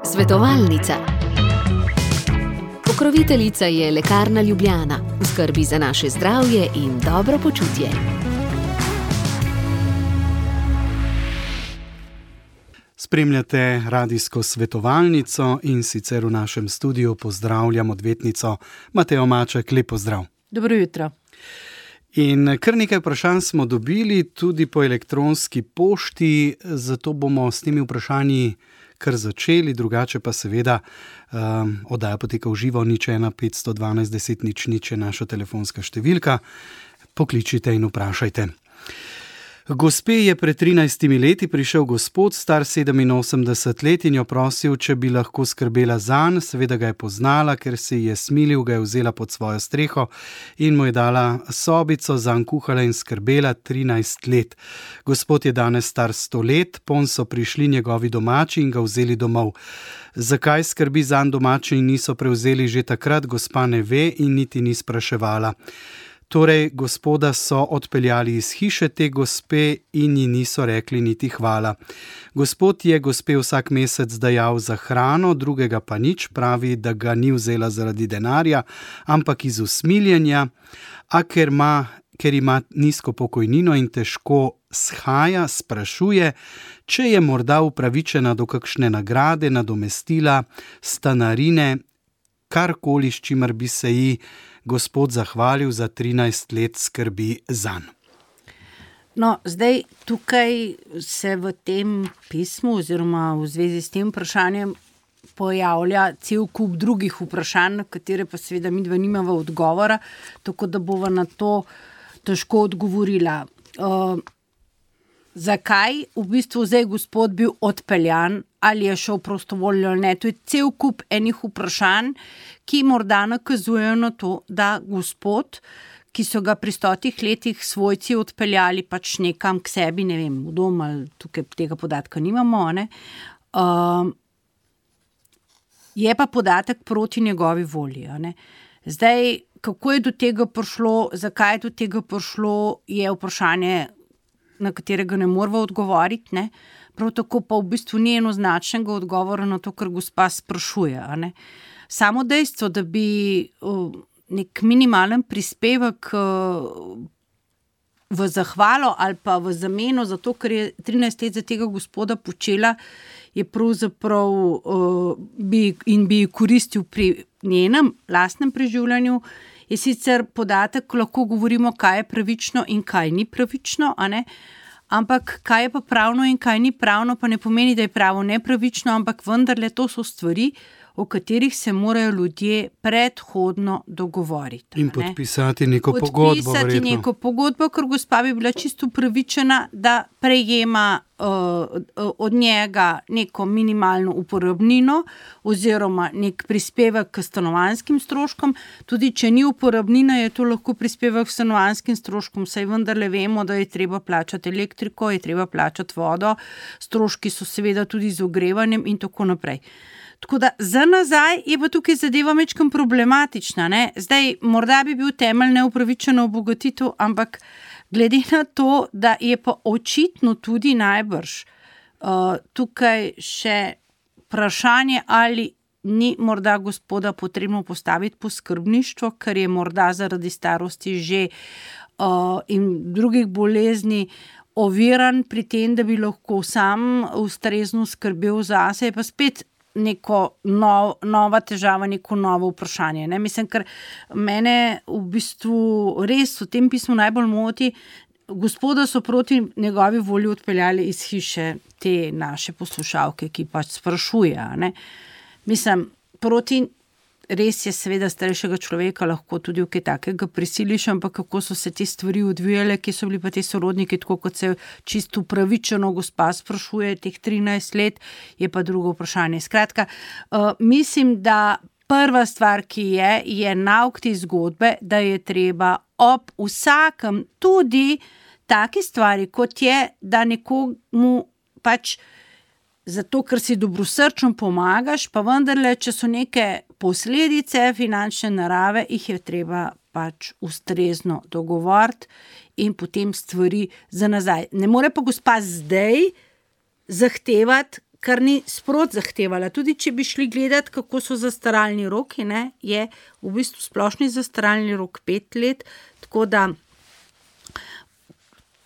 Svetovalnica. Pokroviteljica je Lekarna Ljubljana, v skrbi za naše zdravje in dobro počutje. Spremljate radijsko svetovalnico in sicer v našem studiu pozdravljam odvetnico Matejo Maček. Lep pozdrav. Dobro jutro. In kar nekaj vprašanj smo dobili tudi po elektronski pošti, zato bomo s temi vprašanji kar začeli, drugače pa seveda oddaja poteka v živo, 01 512 10 00 je naša telefonska številka. Pokličite in vprašajte. Gospe je pred 13 leti prišel gospod, star 87 let, in jo prosil, če bi lahko skrbela zanj. Seveda ga je poznala, ker se ji je smilil, ga je vzela pod svojo streho in mu je dala sobico, zanj kuhala in skrbela 13 let. Gospod je danes star 100 let, ponj so prišli njegovi domači in ga vzeli domov. Zakaj skrbi zanj domači in niso prevzeli že takrat, gospa ne ve in niti ni spraševala. Torej, gospoda so odpeljali iz hiše te gospe in ji niso rekli niti hvala. Gospod je gospe vsak mesec dajal za hrano, drugega pa nič, pravi, da ga ni vzela zaradi denarja, ampak iz usmiljenja, a ker ima nizko pokojnino in težko shaja, sprašuje, če je morda upravičena do kakšne nagrade, nadomestila, stanarine, karkoli, s čimer bi se ji gospod zahvalil za 13 let skrbi zanj. No, zdaj tukaj se v tem pismu oziroma v zvezi s tem vprašanjem pojavlja cel kup drugih vprašanj, na katere pa seveda midva nimava odgovora, tako da bova na to težko odgovorila. Zakaj v bistvu zdaj gospod bil odpeljan, ali je šel prostovoljno ali ne? To je cel kup enih vprašanj, ki morda nakazujejo na to, da gospod, ki so ga pri 100 letih svojci odpeljali pač nekam k sebi, ne vem, v dom ali tukaj tega podatka nimamo, ne? Je pa podatek proti njegovi volji. Ne? Zdaj, kako je do tega prišlo, zakaj je do tega prišlo, je vprašanje, na katerega ne moramo odgovoriti, ne? Prav tako pa v bistvu ni enoznačnega odgovora na to, kar gospa sprašuje. Ne? Samo dejstvo, da bi nek minimalen prispevek v zahvalo ali pa v zameno za to, kar je 13 let za tega gospoda počela, je pravzaprav bi koristil pri njenem lastnem preživljanju, je sicer podatek, lahko govorimo, kaj je pravično in kaj ni pravično, a ne? Ampak kaj je pa pravno in kaj ni pravno, pa ne pomeni, da je pravo nepravično, ampak vendarle to so stvari, o katerih se morajo ljudje predhodno dogovoriti. In podpisati neko pogodbo. Podpisati neko pogodbo, ker gospa bi bila čisto upravičena, da prejema od njega neko minimalno uporabnino oziroma nek prispevek k stanovanjskim stroškom. Tudi če ni uporabnina, je to lahko prispevek k stanovanjskim stroškom, saj vendarle vemo, da je treba plačati elektriko, je treba plačati vodo, stroški so seveda tudi z ogrevanjem in tako naprej. Tako da za nazaj je pa tukaj zadeva majčkeno problematična. Ne? Zdaj, morda bi bil temelj neupravičeno obogatitev, ampak glede na to, da je pa očitno tudi najbrž tukaj še vprašanje, ali ni morda gospoda potrebno postaviti po skrbništvo, ker je morda zaradi starosti že in drugih bolezni oviran pri tem, da bi lahko sam ustrezno skrbel zase, je pa spet neko nova težava, neko novo vprašanje. Ne? Mislim, ker mene v bistvu res v tem pismu najbolj moti, gospoda so proti njegovi volji odpeljali iz hiše te naše poslušalke, ki pač sprašuje. Ne? Mislim, res je seveda starejšega človeka lahko tudi v kaj takega prisiliš, ampak kako so se te stvari odvijale, ki so bili pa te sorodniki, tako kot se čisto upravičeno gospa sprašuje teh 13 let, je pa drugo vprašanje. Skratka, mislim, da prva stvar, ki je nauk te zgodbe, da je treba ob vsakem tudi taki stvari, kot je, da nekomu pač zato, ker si dobrosrčno pomagaš, pa vendarle, če so neke posledice finančne narave, jih je treba pač ustrezno dogovoriti in potem stvari za nazaj. Ne more pa gospa zdaj zahtevati, kar ni sprot zahtevala. Tudi če bi šli gledati, kako so zastaralni roki, ne, je v bistvu splošni zastaralni rok 5 let, tako da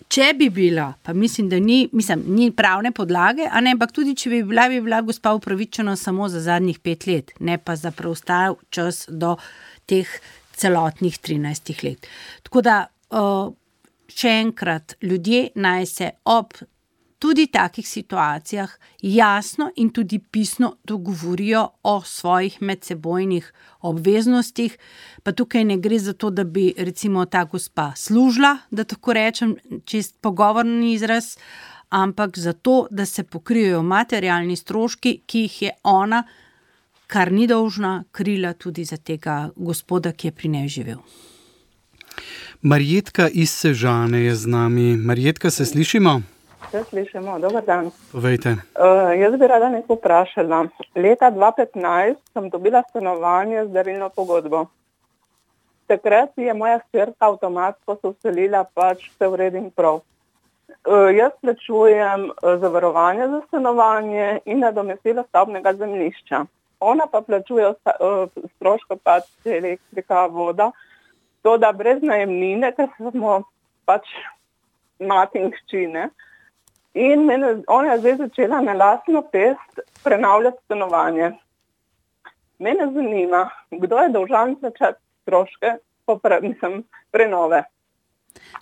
če bi bila, pa mislim, da ni pravne podlage, ampak tudi če bi bila gospa upravičena samo za zadnjih 5 let, ne pa za preostal čas do teh celotnih 13 let. Tako da, še enkrat, ljudje naj se ob tudi takih situacijah jasno in tudi pisno dogovorijo o svojih medsebojnih obveznostih, pa tukaj ne gre za to, da bi recimo ta gospa služila, da tako rečem, čist pogovorni izraz, ampak za to, da se pokrijejo materialni stroški, ki jih je ona, kar ni dolžna, krila tudi za tega gospoda, ki je pri njej živel. Marjetka iz Sežane je z nami. Marjetka, se slišimo? Se slišimo, dober dan. Povejte. Jaz bi rada nekaj vprašala. Leta 2015 sem dobila stanovanje z darilno pogodbo. Takrat je moja hčerka avtomatsko se vselila, pač vse v redu in prav. Jaz plačujem zavarovanje za stanovanje in nadomestilo stavbnega zemljišča. Ona pa plačuje stroške pač elektrika, voda, to da brez najemnine, ker smo pač mati in hči, ne. In ona je zdaj začela na lastno pest prenavljati stanovanje. Mene zanima, kdo je dolžan plačati stroške prenove.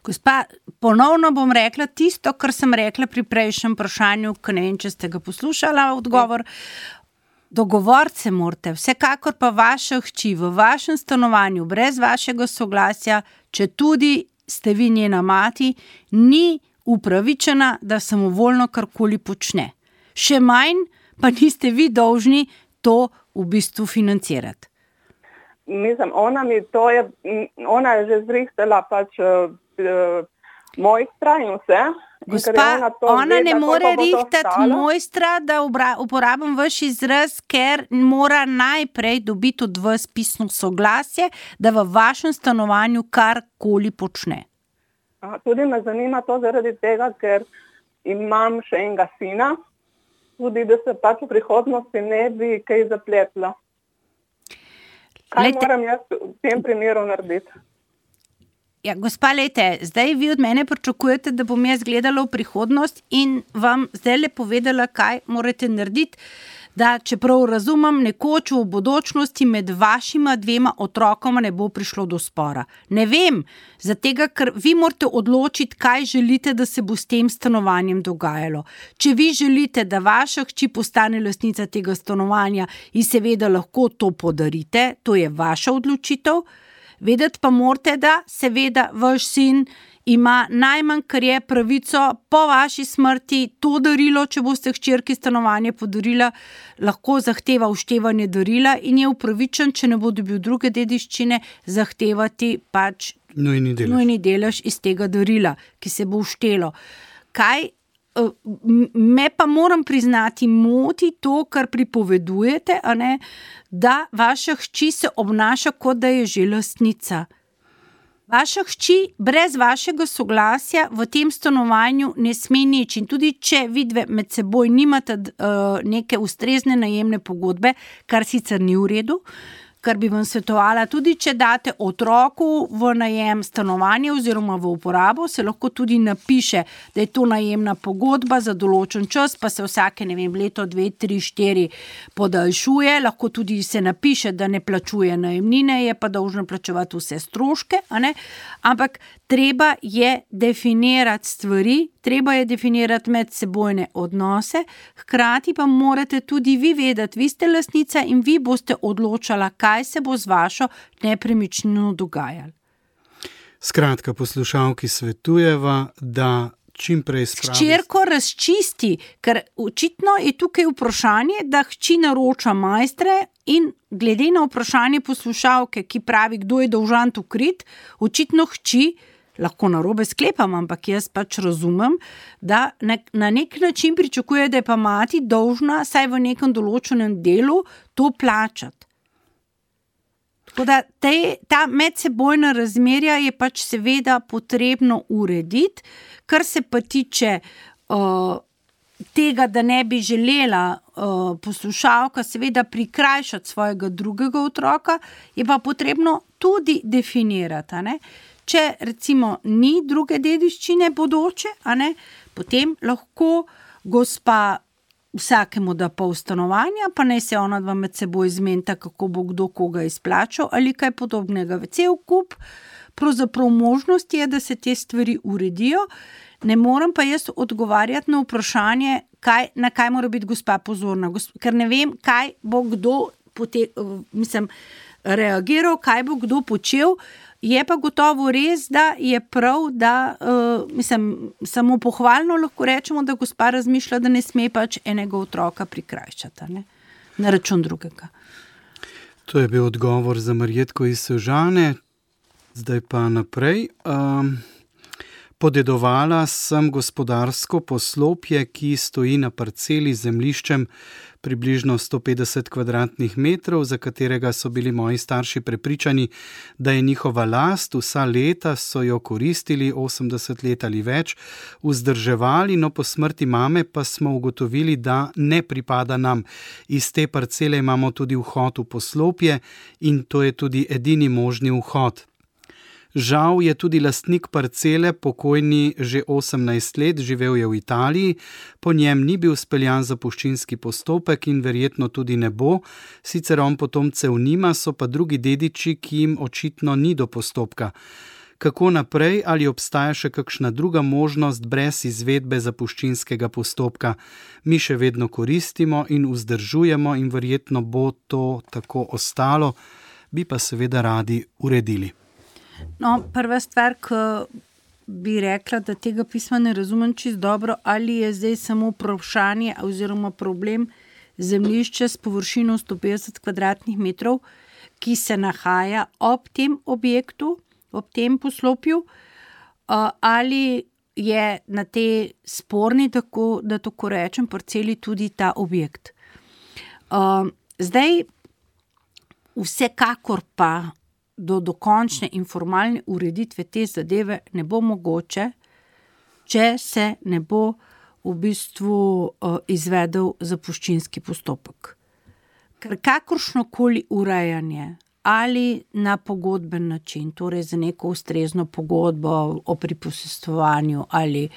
Gospa, ponovno bom rekla tisto, kar sem rekla pri prejšnjem vprašanju, ker ne vem, če ste ga poslušala odgovor. Dogovoriti se morate, vsekakor pa vaša hči v vašem stanovanju brez vašega soglasja, če tudi ste vi njena mati, ni upravičena, da samovoljno karkoli počne. Še manj pa niste vi dolžni to v bistvu financirati. Mislim, ona je že zrihtala pač moj strah in vse. Gospa, ona ne more rihtati mojstra, da uporabim vaš izraz, ker mora najprej dobiti od vas pisno soglasje, da v vašem stanovanju karkoli počne. Tudi me zanima to zaradi tega, ker imam še enega sina, tudi da se pač v prihodnosti ne bi kaj zapletlo. Kaj moram jaz v tem primeru narediti? Ja, gospa, zdaj vi od mene pričakujete, da bom jaz gledala v prihodnost in vam zdaj povedala, kaj morate narediti, da čeprav razumem, nekoč v bodočnosti med vašima 2 otrokoma ne bo prišlo do spora. Ne vem, zatega, ker vi morate odločiti, kaj želite, da se bo s tem stanovanjem dogajalo. Če vi želite, da vaša hči postane lastnica tega stanovanja in seveda lahko to podarite, to je vaša odločitev. Vedeti pa morate, da seveda vaš sin ima najmanj, kar je pravico po vaši smrti to darilo, če boste hčerki stanovanje podarila, lahko zahteva vštevanje darila in je upravičen, če ne bo dobil druge dediščine, zahtevati pač nujni delež iz tega darila, ki se bo vštelo. Me pa moram priznati, moti to, kar pripovedujete, da vaša hči se obnaša, kot da je že lastnica. Vaša hči brez vašega soglasja v tem stanovanju ne sme nič in tudi če vidve med seboj nimate neke ustrezne najemne pogodbe, kar sicer ni v redu, kar bi vam svetovala, tudi če date otroku v najem stanovanje oziroma v uporabo, se lahko tudi napiše, da je to najemna pogodba za določen čas, pa se vsake, leto, 2, 3, 4 podaljšuje, lahko tudi se napiše, da ne plačuje najemnine, je pa dolžna plačevati vse stroške, ampak treba je definirati stvari, treba je definirati medsebojne odnose, hkrati pa morate tudi vi vedeti, vi ste lastnica in vi boste odločala, kaj se bo z vašo nepremičnino dogajalo. Skratka, poslušalki svetujeva, da čim prej spravi... Hčerko razčisti, ker očitno je tukaj vprašanje, da hči naroča majstre in glede na vprašanje poslušalke, ki pravi, kdo je dolžan to kriti, očitno hči, lahko narobe sklepam, ampak jaz pač razumem, da na nek način pričakuje, da je pa mati dolžna saj v nekem določenem delu to plačati. Tako da ta medsebojna razmerja je pač seveda potrebno urediti, kar se pa tiče tega, da ne bi želela poslušalka seveda prikrajšati svojega drugega otroka, je pa potrebno tudi definirati, ne? Če recimo ni druge dediščine bodoče, potem lahko gospa vsakemu da pol stanovanja, pa naj se ona dva med seboj zmenita, kako bo kdo koga izplačal ali kaj podobnega. Cel kup pravzaprav možnost je, da se te stvari uredijo. Ne morem pa jaz odgovarjati na vprašanje, na kaj mora biti gospa pozorna, ker ne vem, kaj bo kdo reagiral, kaj bo kdo počel. Je pa gotovo res, da je prav, da samo pohvalno lahko rečemo, da gospa razmišlja, da ne sme pač enega otroka prikrajšati, ne? Na račun drugega. To je bil odgovor za Marjetko iz Sežane. Zdaj pa naprej. Podedovala sem gospodarsko poslopje, ki stoji na parceli z zemljiščem približno 150 kvadratnih metrov, za katerega so bili moji starši prepričani, da je njihova last. Vsa leta so jo koristili, 80 let ali več, vzdrževali, no po smrti mame pa smo ugotovili, da ne pripada nam. Iz te parcele imamo tudi vhod v poslopje in to je tudi edini možni vhod. Žal je tudi lastnik parcele, pokojni že 18 let, živel je v Italiji, po njem ni bil speljan zapuščinski postopek in verjetno tudi ne bo, sicer on potomcev nima, so pa drugi dediči, ki jim očitno ni do postopka. Kako naprej, ali obstaja še kakšna druga možnost brez izvedbe zapuščinskega postopka? Mi še vedno koristimo in vzdržujemo in verjetno bo to tako ostalo, bi pa seveda radi uredili. No, prva stvar, ki bi rekla, da tega pisma ne razumem čisto dobro, ali je zdaj samo vprašanje oziroma problem zemljišče s površino 150 kvadratnih metrov, ki se nahaja ob tem objektu, ob tem poslopju, ali je na tej sporni, tako, da tako rečem, parceli tudi ta objekt. Zdaj, vsekakor pa do dokončne in formalne ureditve te zadeve ne bo mogoče, če se ne bo v bistvu izvedel zapuščinski postopek. Ker kakršnokoli urejanje ali na pogodben način, torej za neko ustrezno pogodbo o priposestovanju ali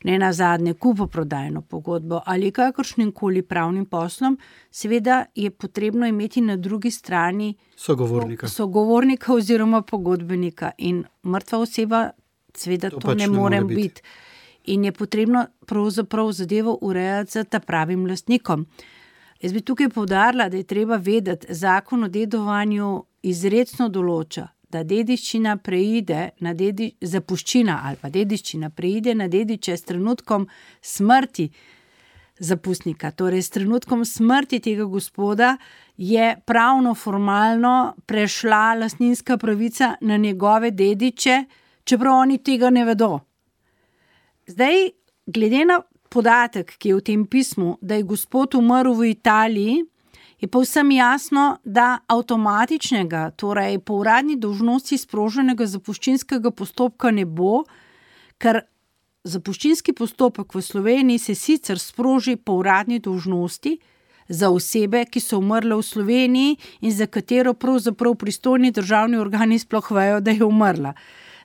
ne nazadnje kupoprodajno pogodbo ali kakršnim-koli pravnim poslom, seveda je potrebno imeti na drugi strani sogovornika oziroma pogodbenika in mrtva oseba seveda to ne more biti. In je potrebno pravzaprav zadevo urejati z ta pravim lastnikom. Jaz bi tukaj poudarila, da je treba vedeti, zakon o dedovanju izrecno določa, da dediščina preide na zapuščina ali pa dediščina preide na dediče s trenutkom smrti zapustnika. Torej, s trenutkom smrti tega gospoda je pravno formalno prešla lastninska pravica na njegove dediče, čeprav oni tega ne vedo. Zdaj, glede na podatek, ki je v tem pismu, da je gospod umrl v Italiji, je povsem jasno, da avtomatičnega, torej po uradni dolžnosti sproženega zapuščinskega postopka ne bo, ker zapuščinski postopek v Sloveniji se sicer sproži po uradni dolžnosti za osebe, ki so umrle v Sloveniji in za katero pravzaprav pristojni državni organi sploh vejo, da je umrla.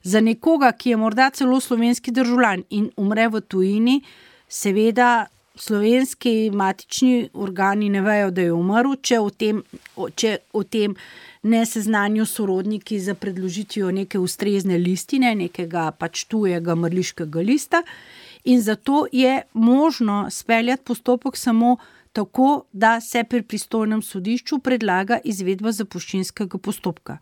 Za nekoga, ki je morda celo slovenski državljan in umre v tujini, seveda slovenski matični organi ne vejo, da je umrl, če o tem ne seznanijo sorodniki za predložitvijo neke ustrezne listine, nekega pač tujega mrliškega lista. In zato je možno speljati postopek samo tako, da se pri pristojnem sodišču predlaga izvedba zapuščinskega postopka.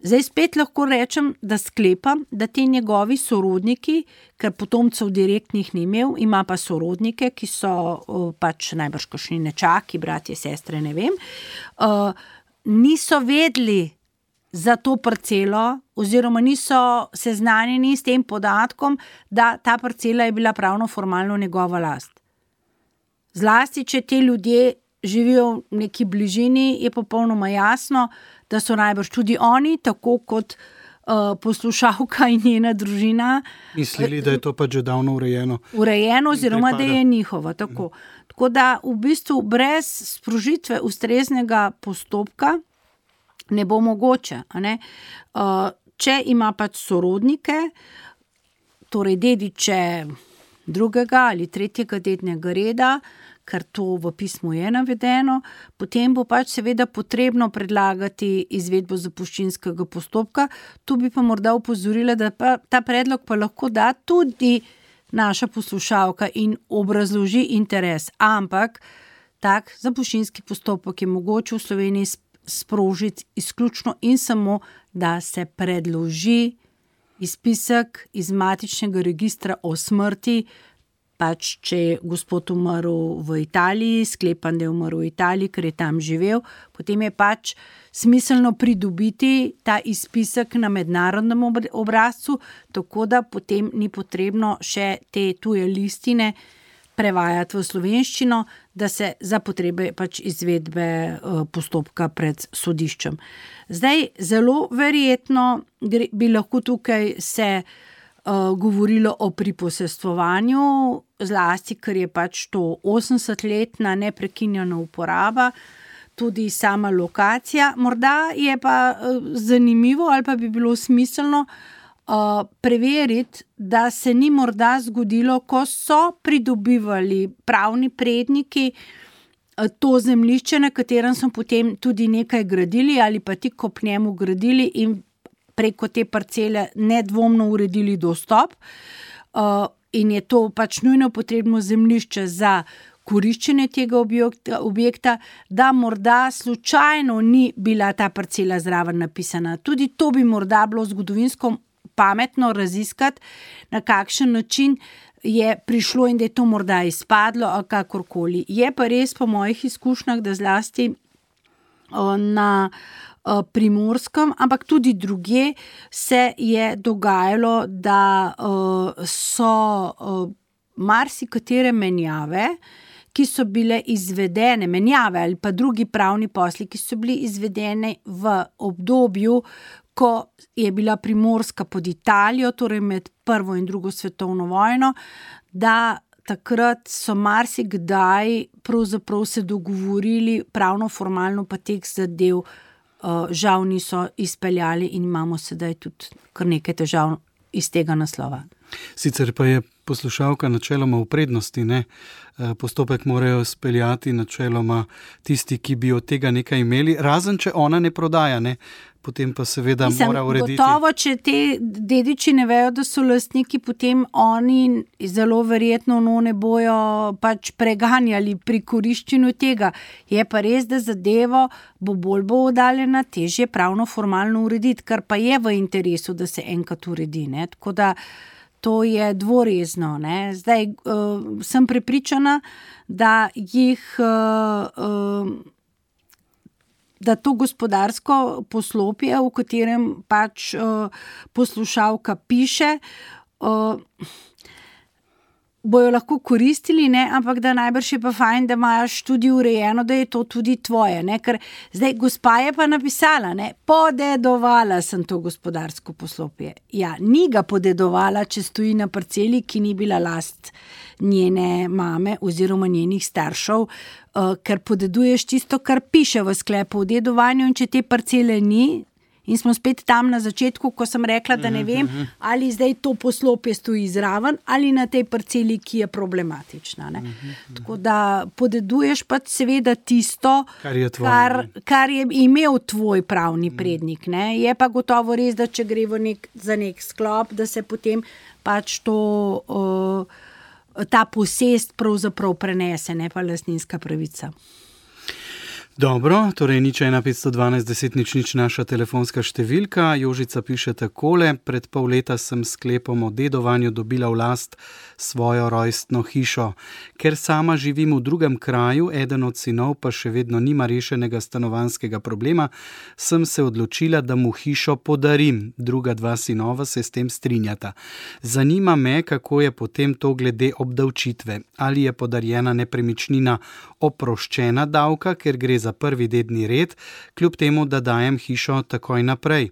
Zdaj spet lahko rečem, da sklepam, da ti njegovi sorodniki, ker potomcev direktnih ni imel, ima pa sorodnike, ki so pač najbrž kakšni nečaki, bratje, sestre, ne vem, niso vedeli za to parcelo oziroma niso seznanjeni s tem podatkom, da ta parcela je bila pravno formalno njegova last. Zlasti, če ti ljudje živijo v neki bližini, je popolnoma jasno, da so najbrž tudi oni, tako kot poslušalka in njena družina mislili, da je to pač že davno urejeno. Urejeno oziroma, da je njihovo. Tako da v bistvu brez sprožitve ustreznega postopka ne bo mogoče. Ne? Če ima pač sorodnike, torej dediče drugega ali tretjega dednega reda, ker to v pismu je navedeno, potem bo pač seveda potrebno predlagati izvedbo zapuščinskega postopka. Tu bi pa morda opozorila, da ta predlog pa lahko da tudi naša poslušalka in obrazloži interes, ampak tak zapuščinski postopek je mogoče v Sloveniji sprožiti izključno in samo, da se predloži izpisek iz matičnega registra o smrti, pač če je gospod umrl v Italiji, sklepam, da je umrl v Italiji, ker je tam živel, potem je pač smiselno pridobiti ta izpisek na mednarodnem obrazcu, tako da potem ni potrebno še te tuje listine prevajati v slovenščino, da se za potrebe pač izvedbe postopka pred sodiščem. Zdaj, zelo verjetno bi lahko tukaj se govorilo o priposestvovanju, zlasti, ker je pač to 80-letna neprekinjena uporaba, tudi sama lokacija. Morda je pa zanimivo ali pa bi bilo smiselno preveriti, da se ni morda zgodilo, ko so pridobivali pravni predniki to zemljišče, na katerem so potem tudi nekaj gradili ali pa tik ob njemu gradili in preko te parcele nedvomno uredili dostop, in je to pač nujno potrebno zemljišče za koriščenje tega objekta, da morda slučajno ni bila ta parcela zraven napisana. Tudi to bi morda bilo zgodovinsko pametno raziskati, na kakšen način je prišlo in da je to morda izpadlo, ali kakorkoli. Je pa res po mojih izkušnjah, da zlasti na Primorskem, ampak tudi drugje se je dogajalo, da so marsikatere menjave, ki so bile izvedene, menjave ali pa drugi pravni posli, ki so bili izvedeni v obdobju, ko je bila Primorska pod Italijo, torej med prvo in drugo svetovno vojno, da takrat so marsikdaj pravzaprav se dogovorili pravno formalno, pa teh zadev žal niso izpeljali in imamo sedaj tudi kar nekaj težav iz tega naslova. Sicer pa je poslušalka načeloma v prednosti, ne? Postopek morajo speljati načeloma tisti, ki bi od tega nekaj imeli, razen če ona ne prodaja, ne? Potem pa seveda mora urediti. Gotovo, če te dediči ne vejo, da so lastniki, potem oni zelo verjetno ne bojo pač preganjali pri koriščenju tega. Je pa res, da zadevo bo oddaljena, težje pravno formalno urediti, kar pa je v interesu, da se enkrat uredi, ne? Tako da to je dvorezno, ne? Zdaj sem prepričana, da da to gospodarsko poslopje, v katerem pač poslušalka piše, bojo lahko koristili, ne? Ampak da najbrž je pa fajn, da imaš tudi urejeno, da je to tudi tvoje, ne? Ker zdaj gospa je pa napisala, ne? Podedovala sem to gospodarsko poslopje. Ja, ni ga podedovala, če stoji na parceli, ki ni bila last njene mame oziroma njenih staršev, ker podeduješ tisto, kar piše v sklepu o dedovanju, in če te parcele ni, in smo spet tam na začetku, ko sem rekla, da ne vem, ali zdaj to poslopje stoji zraven ali na tej parceli, ki je problematična, ne? Tako da podeduješ pa seveda tisto, kar je imel tvoj pravni prednik, ne? Je pa gotovo res, da če gre za nek sklop, da se potem pač ta posest pravzaprav prenese, ne pa lastninska pravica. Dobro, torej 01512 10 00 naša telefonska številka. Jožica piše takole: pred pol leta sem sklepom o dedovanju dobila v last svojo rojstno hišo. Ker sama živim v drugem kraju, eden od sinov pa še vedno nima rešenega stanovanjskega problema, sem se odločila, da mu hišo podarim. Druga dva sinova se s tem strinjata. Zanima me, kako je potem to glede obdavčitve. Ali je podarjena nepremičnina oproščena davka, ker gre za prvi dedni red, kljub temu, da dajem hišo takoj naprej.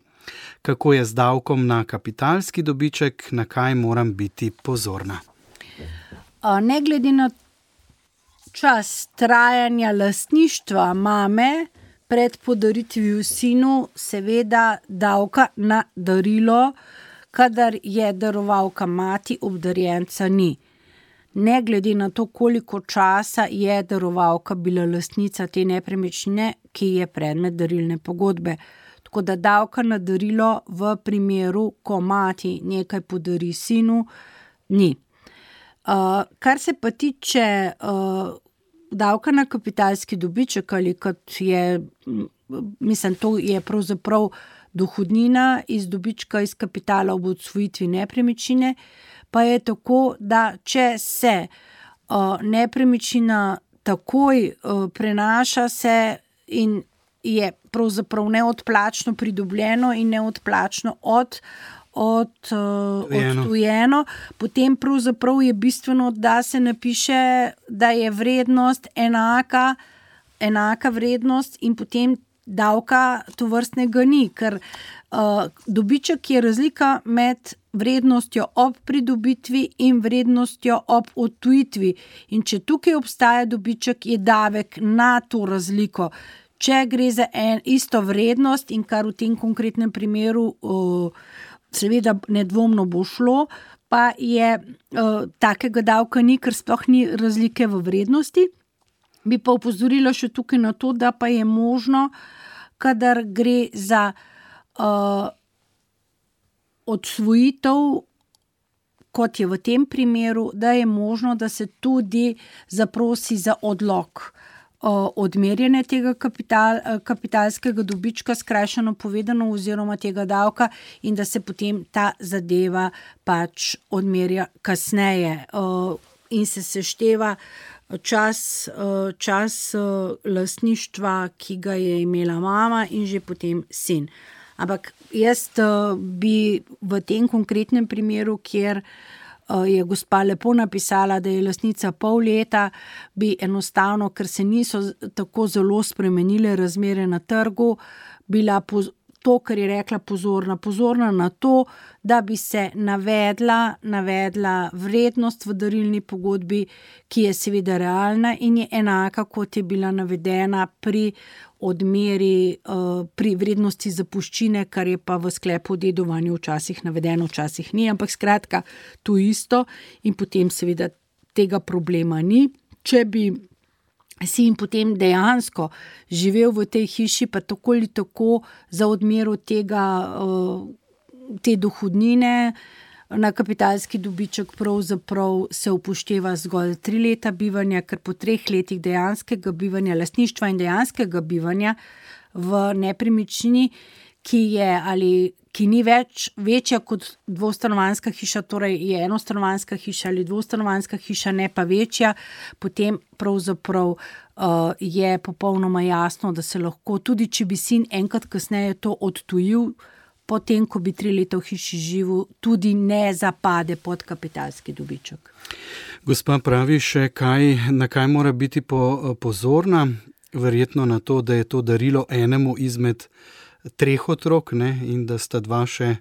Kako je z davkom na kapitalski dobiček, na kaj moram biti pozorna? Ne glede na čas trajanja lastništva mame pred podaritvijo sinu, seveda davka na darilo, kadar je darovalka mati, obdarjenca ni. Ne glede na to, koliko časa je darovalka bila lastnica te nepremičnine, ki je predmet darilne pogodbe. Tako da davka na darilo v primeru, ko mati nekaj podari sinu, ni. Kar se pa tiče davka na kapitalski dobiček, ali kot je, mislim, to je pravzaprav dohodnina iz dobička iz kapitala ob odsvojitvi nepremičnine, pa je tako, da če se nepremičnina takoj prenaša se in je pravzaprav neodplačno pridobljeno in neodplačno odtujeno, potem pravzaprav je bistveno, da se napiše, da je vrednost enaka vrednost in potem davka tovrstnega ni, ker dobiček je razlika med vrednostjo ob pridobitvi in vrednostjo ob odtujitvi. In če tukaj obstaja dobiček, je davek na to razliko. Če gre za isto vrednost in kar v tem konkretnem primeru seveda nedvomno bo šlo, pa je takega davka ni, ker sploh ni razlike v vrednosti. Bi pa opozorila še tukaj na to, da pa je možno, kadar gre za odsvojitev, kot je v tem primeru, da je možno, da se tudi zaprosi za odlog odmerjene tega kapitalskega dobička, skrajšano povedano, oziroma tega davka, in da se potem ta zadeva pač odmerja kasneje in se sešteva čas lastništva, ki ga je imela mama in že potem sin. Ampak jaz bi v tem konkretnem primeru, kjer je gospa lepo napisala, da je lastnica pol leta, bi enostavno, ker se niso tako zelo spremenile razmere na trgu, bila to, kar je rekla, pozorna na to, da bi se navedla vrednost v darilni pogodbi, ki je seveda realna in je enaka, kot je bila navedena pri odmeri, pri vrednosti zapuščine, kar je pa v sklepu o dedovanju včasih navedeno, včasih ni, ampak skratka, to isto in potem seveda tega problema ni. Če bi si in potem dejansko živel v tej hiši, pa tako ali tako za odmero te dohodnine na kapitalski dobiček pravzaprav se upošteva zgolj 3 leta bivanja, ker po 3 letih dejanskega bivanja, lastništva in dejanskega bivanja v nepremičnini, ki ni več večja kot dvostanovanjska hiša, torej je enostanovanjska hiša ali dvostanovanjska hiša, ne pa večja, potem pravzaprav je popolnoma jasno, da se lahko, tudi če bi sin enkrat kasneje to odtujil, potem, ko bi 3 leta v hiši živel, tudi ne zapade pod kapitalski dobiček. Gospa pravi še, na kaj mora biti pozorna, verjetno na to, da je to darilo enemu izmed 3 otrok, ne, in da sta 2 še.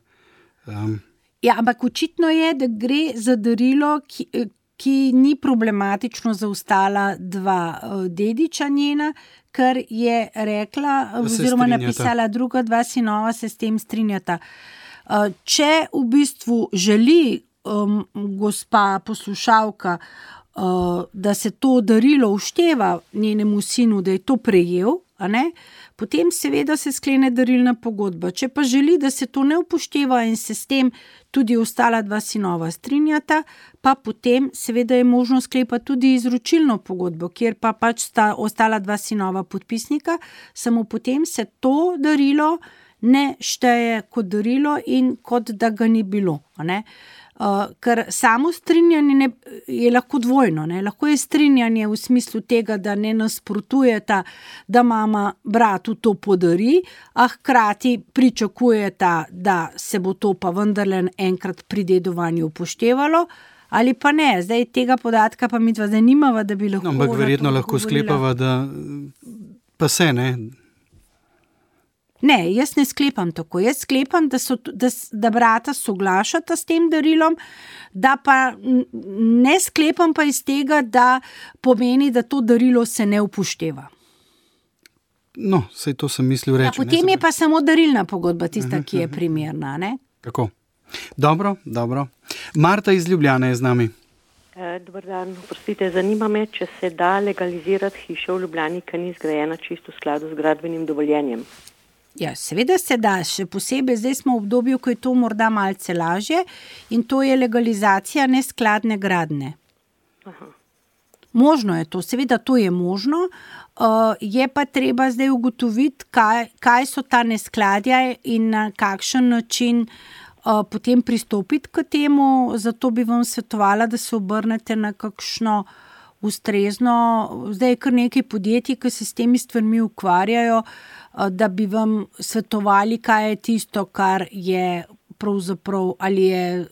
Ja, ampak očitno je, da gre za darilo, ki ni problematično za ostala 2 dediča njena, ker je rekla oziroma napisala, druga 2 sinova se s tem strinjata. Če v bistvu želi gospa poslušalka, da se to darilo ušteva njenemu sinu, da je to prejel, a ne, potem seveda se sklene darilna pogodba. Če pa želi, da se to ne upošteva in se s tem tudi ostala 2 sinova strinjata, pa potem seveda je možno sklepati tudi izročilno pogodbo, kjer pa pač sta ostala 2 sinova podpisnika, samo potem se to darilo ne šteje kot darilo in kot da ga ni bilo, a ne. Ker samo strinjanje je lahko dvojno, ne? Lahko je strinjanje v smislu tega, da ne nasprotujeta, da mama bratu to podari, a hkrati pričakujeta, da se bo to pa vendarle enkrat pri dedovanju upoštevalo, ali pa ne. Zdaj tega podatka pa midva zanimava, da bi lahko... Ampak verjetno lahko sklepava, da pa se ne... Ne, jaz ne sklepam tako. Jaz sklepam, da brata soglašata s tem darilom, da pa ne sklepam pa iz tega, da pomeni, da to darilo se ne upošteva. No, sej to sem mislil reči. Potem je pa samo darilna pogodba tista, ki je primerna, ne? Tako. Dobro. Marta iz Ljubljane je z nami. Dobar dan, oprostite, zanima me, če se da legalizirati hišo v Ljubljani, ki ni zgrajena čisto v skladu z gradbenim dovoljenjem. Ja, seveda se da, še posebej zdaj smo v obdobju, ko je to morda malce lažje in to je legalizacija neskladne gradnje. Aha. Možno je to, seveda to je možno, je pa treba zdaj ugotoviti, kaj so ta neskladja in na kakšen način potem pristopiti k temu, zato bi vam svetovala, da se obrnete na kakšno ustrezno, zdaj je kar nekaj podjetij, ki se s temi stvarmi ukvarjajo, da bi vam svetovali, kaj je tisto, kar je pravzaprav, ali je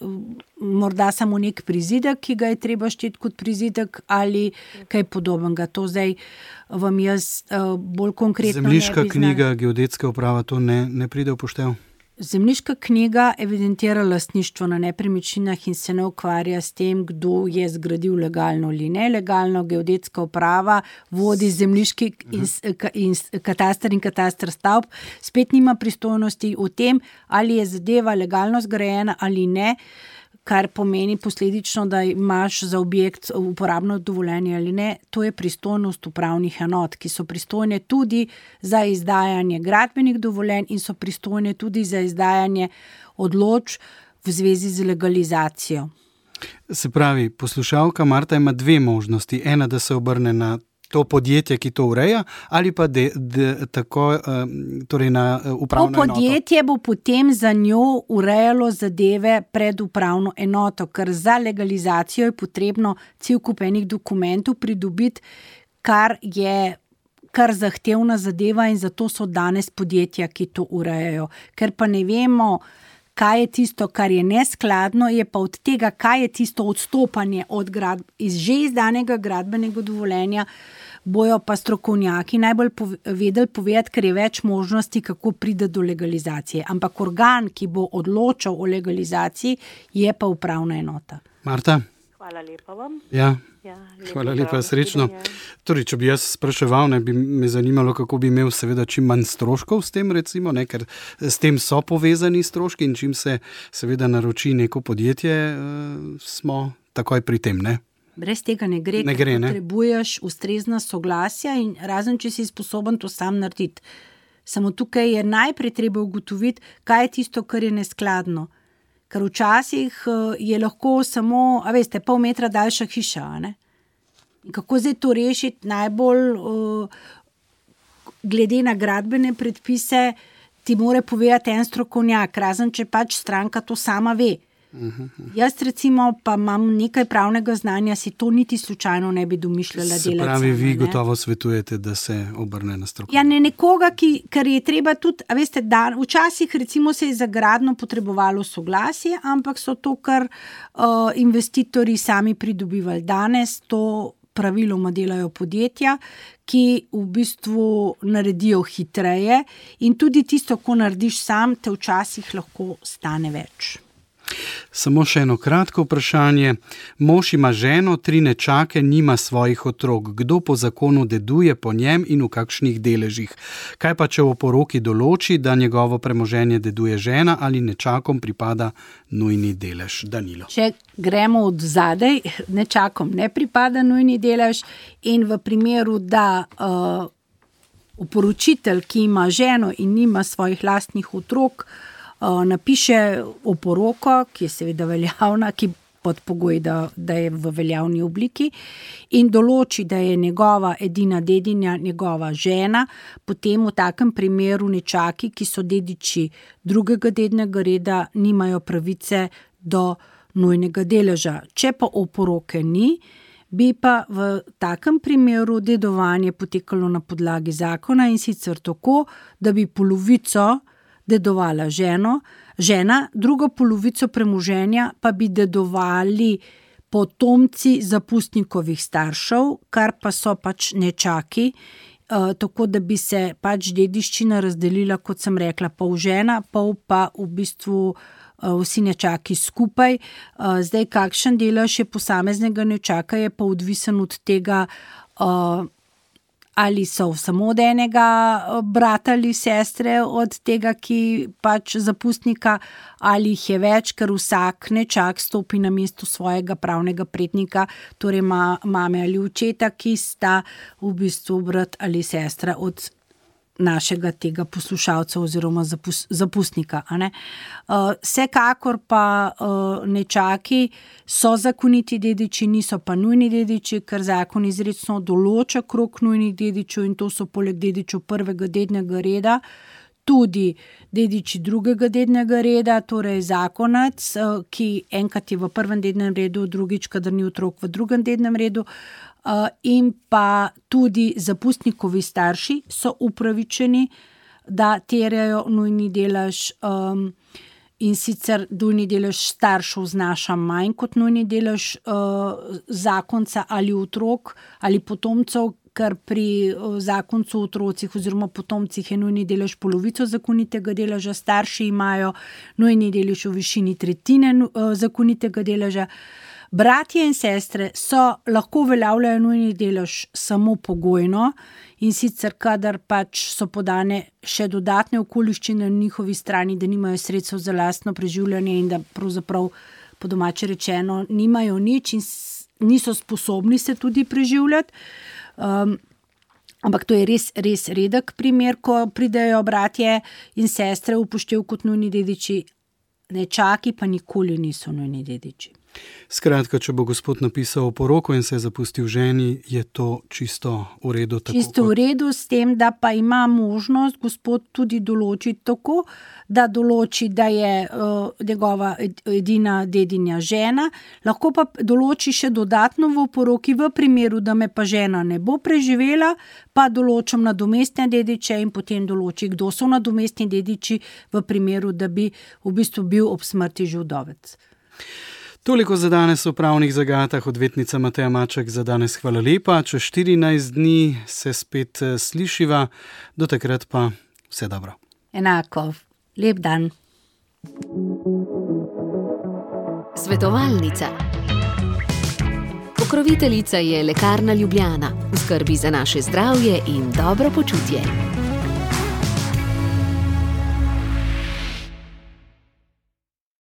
morda samo nek prizidek, ki ga je treba šteti kot prizidek, ali kaj podobnega. To zdaj vam jaz bolj konkretno Zemljiška knjiga, geodetska uprava, to ne pride v poštev? Zemljiška knjiga evidentira lastništvo na nepremičninah in se ne ukvarja s tem, kdo je zgradil legalno ali nelegalno. Geodetska uprava vodi zemljiški kataster in kataster stavb, spet nima pristojnosti o tem, ali je zadeva legalno zgrajena ali ne, kar pomeni posledično, da imaš za objekt uporabno dovoljenje ali ne. To je pristojnost upravnih enot, ki so pristojne tudi za izdajanje gradbenih dovoljenj in so pristojne tudi za izdajanje odločb v zvezi z legalizacijo. Se pravi, poslušalka Marta ima dve možnosti. Ena, da se obrne na to podjetje, ki to ureja, ali pa tako, torej na upravno enoto. To podjetje bo potem za njo urejalo zadeve pred upravno enoto, ker za legalizacijo je potrebno cel kup enih dokumentov pridobiti, kar je kar zahtevna zadeva in zato so danes podjetja, ki to urejajo. Ker pa ne vemo, kaj je tisto, kar je neskladno, je pa od tega, kaj je tisto odstopanje od iz že izdanega gradbenega dovoljenja, bojo pa strokovnjaki najbolj vedeli povedati, ker je več možnosti, kako pride do legalizacije. Ampak organ, ki bo odločal o legalizaciji, je pa upravna enota. Marta? Hvala lepa vam. Ja. Hvala lepa, srečno. Torej, če bi jaz spraševal, bi me zanimalo, kako bi imel seveda čim manj stroškov s tem, recimo, ker s tem so povezani stroški in čim se seveda naroči neko podjetje, smo takoj pri tem, ne? Brez tega ne gre, potrebuješ ustrezna soglasja in razen, če si sposoben to sam narediti. Samo tukaj je najprej treba ugotoviti, kaj je tisto, kar je neskladno. Ker včasih je lahko samo, pol metra daljša hiša, ne? Kako zdaj to rešiti najbolj glede na gradbene predpise, ti mora povedati en strokovnjak, razen če pač stranka to sama ve. Jaz recimo pa imam nekaj pravnega znanja, si to niti slučajno ne bi domišljala delati. Se pravi, vi gotovo svetujete, da se obrne na strokovnjaka. Ja, ne nekoga, ker je treba tudi, včasih recimo se je za gradnjo potrebovalo soglasje, ampak so to kar investitorji sami pridobivali. Danes to praviloma delajo podjetja, ki v bistvu naredijo hitreje in tudi tisto, ko narediš sam, te včasih lahko stane več. Samo še eno kratko vprašanje. Mož ima ženo, 3 nečake, nima svojih otrok. Kdo po zakonu deduje po njem in v kakšnih deležih? Kaj pa, če v poroki določi, da njegovo premoženje deduje žena ali nečakom pripada nujni delež? Danilo. Če gremo od zadaj, nečakom ne pripada nujni delež in v primeru, da oporočitelj, ki ima ženo in nima svojih lastnih otrok, napiše oporoko, ki je seveda veljavna, ki pod pogoj, da je v veljavni obliki in določi, da je njegova edina dedinja njegova žena, potem v takem primeru nečaki, ki so dediči drugega dednega reda, nimajo pravice do nujnega deleža. Če pa oporoke ni, bi pa v takem primeru dedovanje potekalo na podlagi zakona in sicer tako, da bi polovico dedovala žena, drugo polovico premoženja pa bi dedovali potomci zapustnikovih staršev, kar pa so pač nečaki tako da bi se pač dediščina razdelila, kot sem rekla, pol žena, pol pa v bistvu vsi nečaki skupaj. Zdaj, kakšen delež je posameznega nečaka, je pa odvisen od tega, ali so samo od enega brata ali sestre, od tega, ki pač zapustnika, ali jih je več, ker vsak nečak stopi na mesto svojega pravnega prednika, torej mame ali očeta, ki sta v bistvu brat ali sestra od našega tega poslušalca oziroma zapustnika. Vsekakor pa nečaki so zakoniti dediči, niso pa nujni dediči, ker zakon izrecno določa krog nujnih dedičev in to so poleg dedičev prvega dednega reda tudi dediči drugega dednega reda, torej zakonac, ki enkrat je v prvem dednem redu, drugič, kadar ni otrok v drugem dednem redu, in pa tudi zapustnikovi starši so upravičeni, da terjajo nujni delež, in sicer nujni delež staršev znaša manj kot nujni delež zakonca ali otrok ali potomcev, ker pri zakoncu, otrocih oziroma potomcih je nujni delež polovico zakonitega deleža, starši imajo nujni delež v višini tretjine zakonitega deleža. Bratje in sestre lahko uveljavljajo nujni delež samo pogojno, in sicer kadar pač so podane še dodatne okoliščine na njihovi strani, da nimajo sredstev za lastno preživljanje in da pravzaprav po domače rečeno nimajo nič in niso sposobni se tudi preživljati. Ampak to je res redek primer, ko pridejo bratje in sestre v upoštev kot nujni dediči, nečaki pa nikoli niso nujni dediči. Skratka, če bo gospod napisal poroko in se zapustil ženi, je to čisto v redu? Čisto v redu, s tem, da pa ima možnost gospod tudi določiti tako, da določi, da je njegova edina dedinja žena, lahko pa določi še dodatno v poroki, v primeru, da me pa žena ne bo preživela, pa določam nadomestne dediče in potem določi, kdo so nadomestni dediči v primeru, da bi v bistvu bil ob smrti že vdovec. Toliko za danes v pravnih zagatah. Odvetnica Mateja Maček za danes hvala lepa. Čez 14 dni se spet slišiva. Do takrat pa vse dobro. Enako. Lep dan. Svetovalnica. Pokroviteljica je Lekarna Ljubljana. V skrbi za naše zdravje in dobro počutje.